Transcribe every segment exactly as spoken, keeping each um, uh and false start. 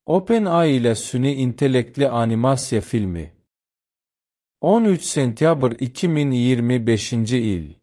OpenAI ilə süni intellektli animasiya filmi. on üç sentyabr iki min iyirmi beşinci il.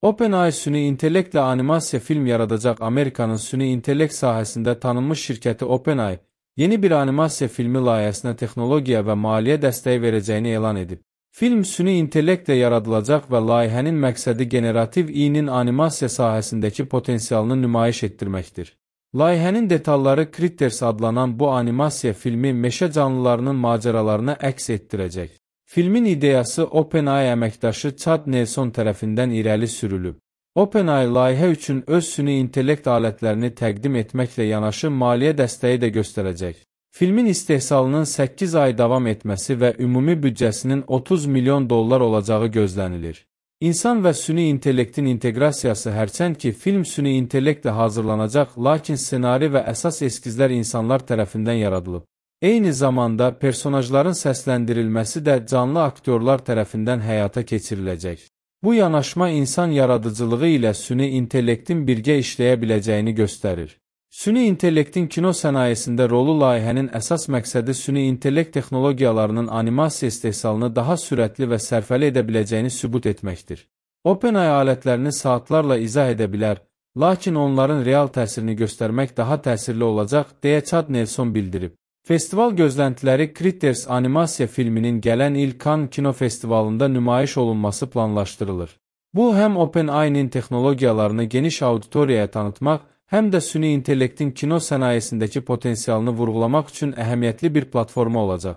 OpenAI süni intellektli animasiya film yaradacaq Amerikanın süni intellekt sahəsində tanınmış şirkəti OpenAI, yeni bir animasiya filmi layihəsinə texnologiya və maliyyə dəstəyi verəcəyini elan edib. Film süni intellektlə yaradılacaq və layihənin məqsədi generativ i-nin animasiya sahəsindəki potensialını nümayiş etdirməkdir. Layihənin detalları Critters adlanan bu animasiya filmi meşə canlılarının macəralarını əks etdirəcək. Filmin ideyası OpenAI əməkdaşı Chad Nelson tərəfindən irəli sürülüb. OpenAI layihə üçün öz süni intellekt alətlərini təqdim etməklə yanaşı maliyyə dəstəyi də göstərəcək. Filmin istehsalının səkkiz ay davam etməsi və ümumi büdcəsinin otuz milyon dollar olacağı gözlənilir. İnsan və süni intellektin inteqrasiyası hərçənd ki, film süni intellektlə hazırlanacaq, lakin ssenari və əsas eskizlər insanlar tərəfindən yaradılıb. Eyni zamanda, personajların səsləndirilməsi də canlı aktyorlar tərəfindən həyata keçiriləcək. Bu yanaşma insan yaradıcılığı ilə süni intellektin birgə işləyə biləcəyini göstərir. Süni intellektin kino sənayesində rolu layihənin əsas məqsədi süni intellekt texnologiyalarının animasiya istehsalını daha sürətli və sərfəli edə biləcəyini sübut etməkdir. OpenAI alətlərini saatlarla izah edə bilər, lakin onların real təsirini göstərmək daha təsirli olacaq, deyə Chad Nelson bildirib. Festival gözləntiləri Critters animasiya filminin gələn il Cannes Kino Festivalında nümayiş olunması planlaşdırılır. Bu, həm OpenAI-nin texnologiyalarını geniş auditoriyaya tanıtmaq, həm də süni intellektin kino sənayesindəki potensialını vurğulamaq üçün əhəmiyyətli bir platforma olacaq.